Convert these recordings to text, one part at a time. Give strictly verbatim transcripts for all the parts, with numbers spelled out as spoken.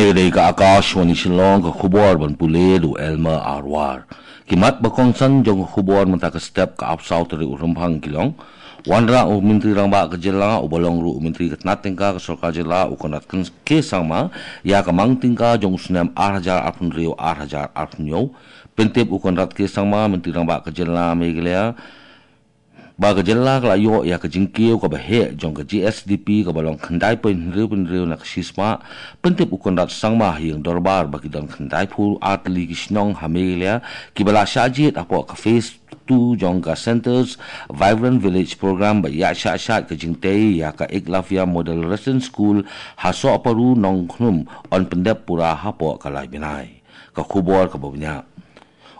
Ka dei ka Akashvani Shillong, ka khubor ban pule da u Elmer Arwar. Ki mat ba kongsan jong ka khubor mynta ka step, ka arphew saw tarik u Rymphang ki long: Wanrah u Myntri Rangbah ka jylla, uba long ruh u Myntri ka tnat tyngka ka sorkar jylla, u Conrad K Sangma, ïa ka mang tyngka jong u snem ar hajar arphew hynriew ar hajar arphew hynñiew. Pyntip u Conrad K Sangma, Myntri Rangbah ka jylla Meghalaya, ba ka jylla ka la ïoh ïa ka jingkiew kaba heh jong ka G S D P kaba long khyndai point hynriew hynriew na ka shispah. Pyntip u Conrad Sangma ha ïing dorbar ba ki don khyndai phew ar tylli ki shnong ha Meghalaya kiba la shah jied hapoh ka phase two jong ka Centre's Vibrant Village Programme, ba ïa shah shah ka jingtei ïa ka Eklavya Model Residence School ha Sohparu Nongkhnum yn pyndep pura hapoh ka lai bnai. Ka khubor kaba bniah.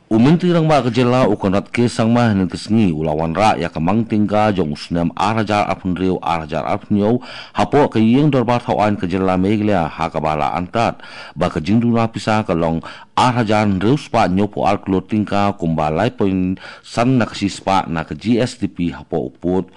U Myntri Rangbah ka jylla u Conrad K Sangma hynnin ka sngi u la wanrah ïa ka mang tyngka jong u snem ar hajar arphew hynriew ar hajar arphew hynñiew hapoh ka ïing dorbar thaw aiñ ka jylla Meghalaya, ha kaba la antad ba ka jingduna pisa ka long ar hajar hynriew spah hynñiew phew ar klur tyngka, kumba lai point san na ka shispah na ka G S D P hapoh u pud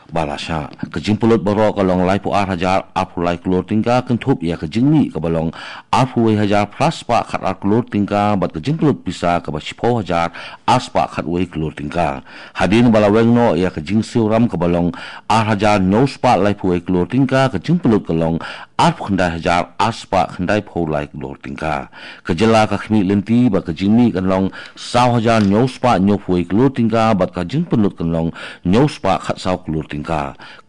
ba la shah. Ka jingpynlut baroh ka long lai phew ar hajar arphew lai klur tyngka, kynthup ïa ka jingmih kaba long arphew wei hajar phra spah khat ar klur tyngka, bad ka jingpynlut pisa kaba shiphew hajar ar spah khat wei klur tyngka. Hadien ba la weng noh ïa ka jingsiew ram kaba long ar hajar hynñiew spah lai phew wei klur tyngka, ka jingpynlut ka long arphew khyndai hajar ar spah khyndai phew lai klur tyngka. Ka jylla ka khmih lynti ba ka jingmih kan long saw hajar hynñiew spah hynñiew phew wei klur tyngka, bad ka jingpynlut kan long hynñiew spah khat saw klur tyngka.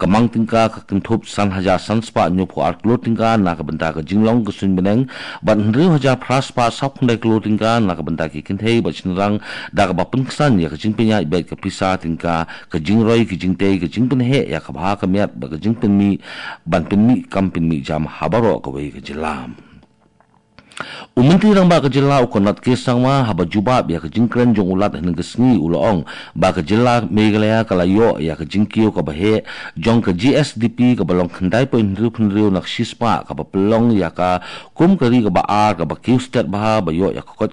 Ka mang tyngka ka kynthup san hajar san spah hynñiew phew ar klur tyngka na ka bynta ka jinglong ka suiñ bneng, bad hynriew hajar phra spah saw khyndai klur tyngka na ka bynta ki kynthei bad shynrang, da kaba pynksan ïa ka jingpynïaid beit ka pisa tyngka, ka jingroi ki jingtei, ka jingpynheh ïa ka bha ka miat, bad ka jingpynmih, ban pynmih kam pynmih jam ha baroh kawei ka jylla. U Myntri Rangbah ka jylla u Conrad K Sangma, haba jubab ïa ka jingkren jong u Lat hynnin ka sngi, u la ong ba ka jylla Meghalaya ka la ïoh ïa ka jingkiew kaba heh jong ka G S D P kaba long khyndai point hynriew hynriew na ka shispah, kaba pynlong ïa ka kum ka ri kaba ar kaba kiew stet bha ba ïoh ïa ka kot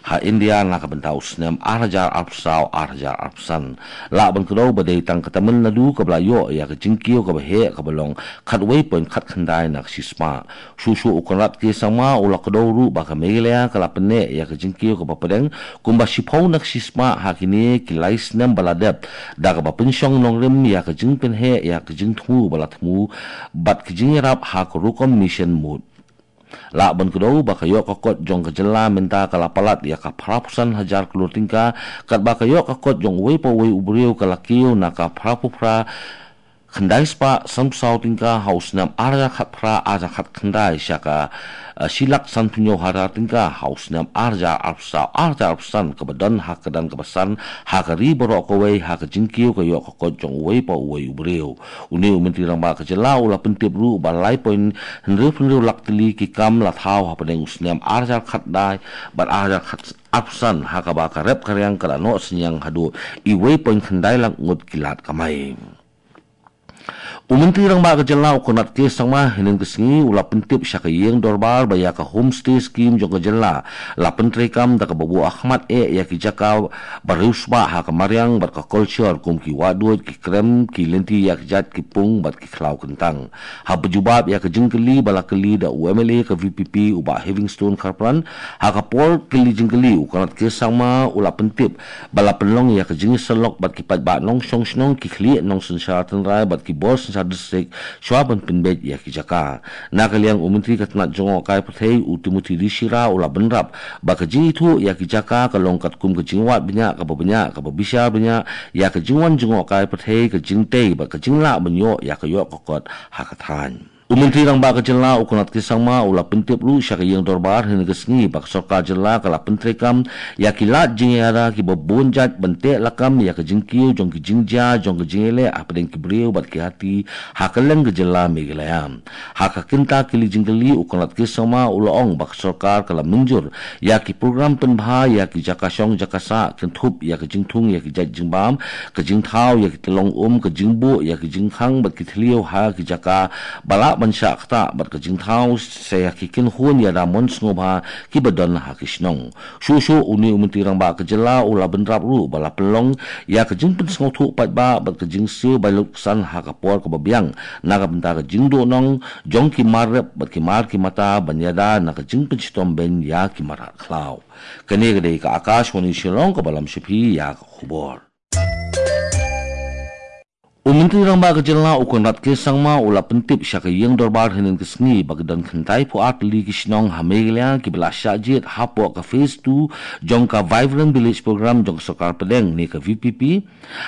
ha India na ka bynta u snem ar hajar arphew saw ar hajar arphew san. Lah ban kdew ba dei tang ka Tamil Nadu kaba la ïoh ïa ka jingkiew kaba heh kaba long khatwei point khatkhyndai na ka shispah. Shuh shuh u Conrad K Sangma u la kdew ruh ba ka Meghalaya ka la pynneh ïa ka jingkiew kaba pdeng kumba shiphew na ka shispah ha kine ki lai snem ba la dep, da kaba pynshong nongrim ïa ka jingpynheh ïa ka jingthmu ba la thmu bad ka jingïarap ha ka rukom mission MOOD. Lah ban kdew ba ka ïoh ka kot jong ka jylla mynta ka la palat ïa ka phra phew san hajar klur tyngka, katba ka ïoh ka kot jong uwei pa uwei u briew ka la kiew na ka phra phew phra khyndai spah san phew saw tyngka ha u snem ar hajar khatphra ar hajar khatkhyndai sha ka, eh, shi lak san phew hynñiew hajar tyngka ha u snem ar hajar arphew saw ar hajar arphew san, kaba don ha ka kyrdan kaba san ha ka ri baroh kawei ha ka jingkiew ka ïoh ka kot jong uwei pa uwei u briew. Une u Myntri Rangbah ka jylla u la pyntip ruh ba lai point hynriew phew hynriew lak tylli ki kam la thaw hapdeng u snem ar hajar khatkhyndai bad ar hajar khat arphew san, ha kaba ka rep ka riang ka la noh synñiang haduh uwei point khyndai lak ngut ki lad kamai. U Myntri Rangbah ka jylla u Conrad K Sangma hynnin ka sngi u la pyntip sha ka ïing dorbar ba ïa ka homestay scheme jong ka jylla la pyntreikam, da kaba buh ha khmat eh ïa ki jaka ba riewspah ha ka mariang bad ka culture, kum ki wahduid, ki krem, ki lynti ïakjat, ki pung bad ki khlaw kyntang. Haba jubab ïa ka jingkylli ba la kylli da u M L A ka V P P u Bah Heavingstone Kharpran, ha ka por kylli jingkylli u Conrad K Sangma u la pyntip ba la pynlong ïa ka jingïasyllok bad ki paidbah nongshong shnong, ki khlieh nongsynshar tynrai bad ki bor synshar district shuwa ban pynbeit ïa ki jaka. Na ka liang u Myntri ka tnat jngohkai pyrthei u Timothy D Shira u la bynrap ba ka jingithuh ïa ki jaka ka long katkum ka jingwad bniah kaba bniah, kaba bishar bniah ïa ka jingwan jngohkai pyrthei, ka jingtei bad ka jinglah ban ïoh ïa ka ïoh ka kot ha ka thaiñ. U Myntri Rangbah ka jylla u Conrad K Sangma u la pyntip ruh sha ka ïing dorbar hynnin ka sngi ba ka sorkar jylla ka la pyntreikam ïa ki lad jingïada kiba bun jait ban teh lakam ïa ka jingkiew jong ki jingjia jong ka jingïaleh hapdeng ki briew bad ki hati ha kylleng ka jylla Meghalaya. Ha ka kynta kylli jingkylli u Conrad K Sangma u la ong ba ka sorkar ka la mynjur ïa ki program pynbha ïa ki jaka shong jaka sah, kynthup ïa ka jingthung ïa ki jait jingbam, ka jingthaw ïa ki tyllong um, ka jingbuh ïa ki jingkhang bad ki thliew ha ki jaka ba lah ban shah ktah bad ka jingthaw sa ïa ki kynhun ïada mon sngewbha kiba don ha ki shnong. Shuh shuh une u Myntri Rangbah ka jylla u la bynrap ruh ba la pynlong ïa ka jingpynsngewthuh paidbah bad ka jingsiew bai lutksan ha ka por kaba biang na ka bynta ka jingduhnong jong ki mar rep bad ki mar ki mata ban ïada na ka jingpynshitom beiñ ïa ki mrad khlaw. Kane ka dei ka Akashvani Shillong kaba lam sha phi ïa ka khubor. U Myntri Rangbah ka jylla u Conrad K Sangma u la pyntip sha ka ïing dorbar hynnin ka sngi ba ki don khyndai phew ar tylli ki shnong ha Meghalaya kiba la shah jied hapoh ka phase two jong ka Vibrant Village Program jong ka sorkar pdeng ne ka V V P,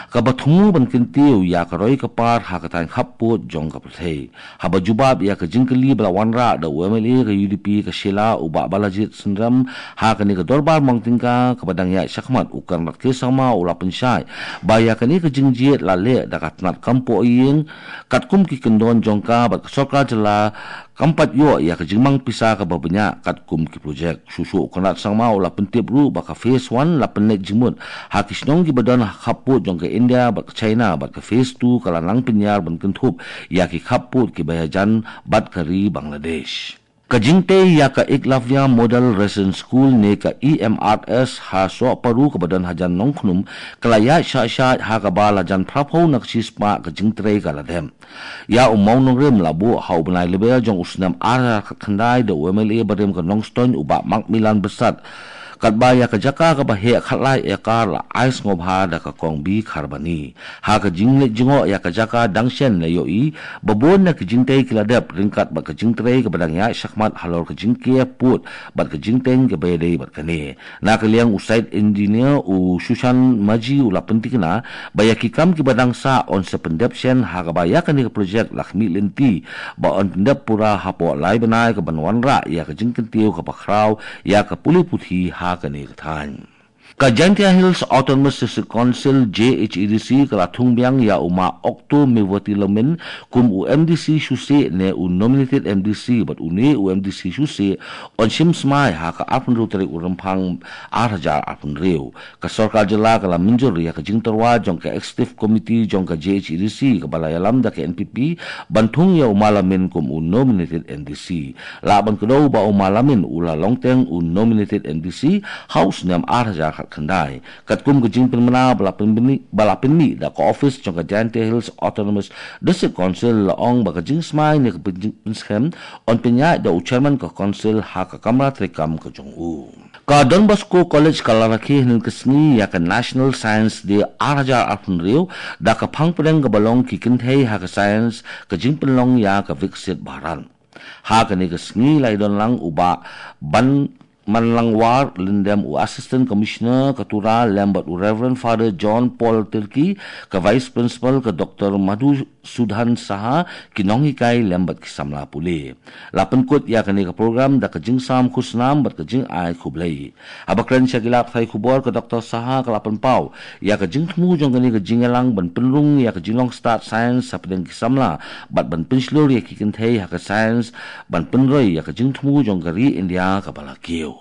kaba thmu ban kyntiew ïa ka roi ka par ha ka thaiñ khappud jong ka pyrthei. Haba jubab ïa ka jingkylli ba la wanrah da u M L A ka U D P ka Shella u Bah Balajied Synrem ha kane ka dorbar mong tyngka kaba dang ïaid shakhmat, u Conrad K Sangma u la pynshai ba ïa kane ka jingjied la leh da ka tnat kam poh ïing katkum ki kyndon jong ka bad ka sorkar jylla kam pat ïoh ïa ka jingmang pisa kaba bniah katkum ki projek. Shuh shuh u Conrad Sangma u la pyntip ruh ba ka phase one la pynleit jingmut ha ki shnong kiba don ha khappud jong ka India bad ka China bad ka phase two ka la nang pynïar ban kynthup ïa ki khappud kiba ïajan bad ka ri Bangladesh. Ka jingtei ïa ka Eklavya Model Residence School ne ka E M R S ha Sohparu kaba don hajan Nongkhnum ka la ïaid shah shah ha kaba la jan phraphew na ka shispah ka jingtrei ka la dep. Ïa u mawnongrim la buh ha u bnai Lber jong u snem ar hajar khatkhyndai da u M L A barim ka Nongstoiñ u Bah Macmillan Byrsat. Katba ïa ka jaka kaba heh khatlai ekar la ai sngewbha da ka Kong B Kharbani. Ha ka jingleit jngoh ïa ka jaka dang shen la ïohi ba bun na ka jingtei ki la dep ryngkat bad ka jingtrei kaba dang ïaid shakhmat halor ka jingker pud bad ka jingteng kaba ïadei bad kane. Na ka liang u site engineer u Sushan Maji u la pyntikna ba ïa ki kam kiba dang sah yn sa pyndep shen ha kaba ïa kane ka projek la khmih lynti ba yn pyndep pura hapoh lai bnai kaban wanrah ïa ka jingkyntiew kaba khraw ïa ka pule puthi ha kane ka thaiñ. Ka Jaintia Hills Autonomous District Council, J H A D C, ka la thung biang ïa u Ma Okto Mewati Lamin kum u M D C shuh shuh ne u nominated M D C bad une u M D C shuh shuh yn shim smai ha ka arphew tarik u Rymphang ar hajar arphew. Ka sorkar jylla ka la mynjur ïa ka jingtyrwa jong ka Executive Committee jong ka J H A D C kaba la ïalam da ka N P P ban thung ïa u Ma Lamin kum u nominated M D C. Lah ban kdew ba u Ma Lamin u la long teng u nominated M D C ha u snem ar hajar khatkhyndai. Katkum ka jingpynmynna ba la pynmih, ba la pynmih da ka office jong ka Jaintia Hills Autonomous District Council, la ong ba ka jingsmai ne ka pyn-, pynskhem yn pynïaid da u chairman ka council ha ka kamra treikam ka jong u. Ka Don Bosco College ka la rakhe hynnin ka sngi ïa ka National Science Day ar hajar arphew da ka phang pdeng kaba long ki kynthei ha ka science, ka jingpynlong ïa ka Viksit Bharat. Ha kane ka sngi la ïadon lang u Bah Ban Manlangwar Lyndem, u Assistant Commissioner ka Tura, lem bad u Reverend Father John Paul Tirki, ka Vice Principal, ka Doctor Madhusudhan Saha, ki nonghikai lem bad ki samla pule. La pynkut ïa kane ka program da ka jingsam khusnam bad ka jingai khublei. Haba kren sha ki lad pathai khubor, ka Doctor Saha ka la pynpaw ïa ka jingthmu jong kane ka jingïalang ban pynrung ïa ka jinglong stad science hapdeng ki samla bad ban pynshlur ïa ki kynthei ha ka science ban pynroi ïa ka jingthmu jong ka ri India kaba la kiew.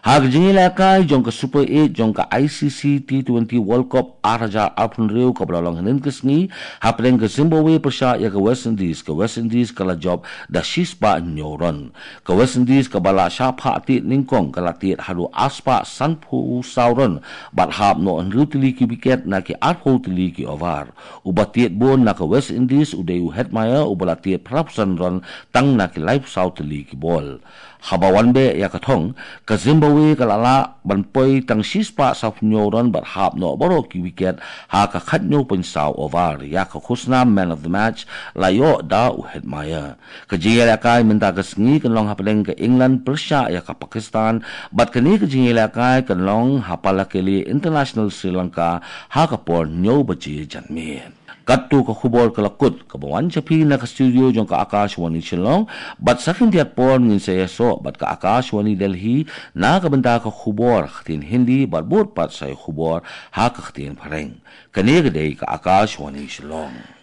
Ha ka jingïalehkai jong ka Super eight jong ka I C C T twenty World Cup ar hajar arphew kaba la long hynnin ka sngi hapdeng ka Zimbabwe pyrshah ïa ka West Indies, ka West Indies ka la jop da shispah hynñiew run. Ka West Indies kaba la shah phah tied nyngkong ka la tied haduh arspah sanphew saw run bad hap noh hynriew tylli ki wicket na ki arphew tylli ki over. Uba tied bun na ka West Indies u dei u Hetmyer uba la tied phraphew san run tang na ki laiphew saw tylli ki bol. Haba wan beh ïa ka thong, ka Zimbabwe ka la lah ban poi tang shispah sawphew hynñiew run bad hap noh baroh ki wicket ha ka khathynñiew point saw over. Ïa ka khusnam man of the match la ïoh da u Hetmyer. Ka jingïalehkai mynta ka sngi kan long hapdeng ka England pyrshah ïa ka Pakistan bad kane ka jingïalehkai kan long ha Pallekele International, Sri Lanka ha ka por hynñiew baje janmiet. Katto ka khubor ka la kut kaba wan sha phi na ka studio jong ka Akashvani Shillong, bad sa khyndiat por ngin sa ïasoh bad ka Akashvani Delhi na ka bynta ka khubor ha ka ktien Hindi bad bud pat sa ïa khubor ha ka ktien Phareng. Kane ka dei ka Akashvani Shillong.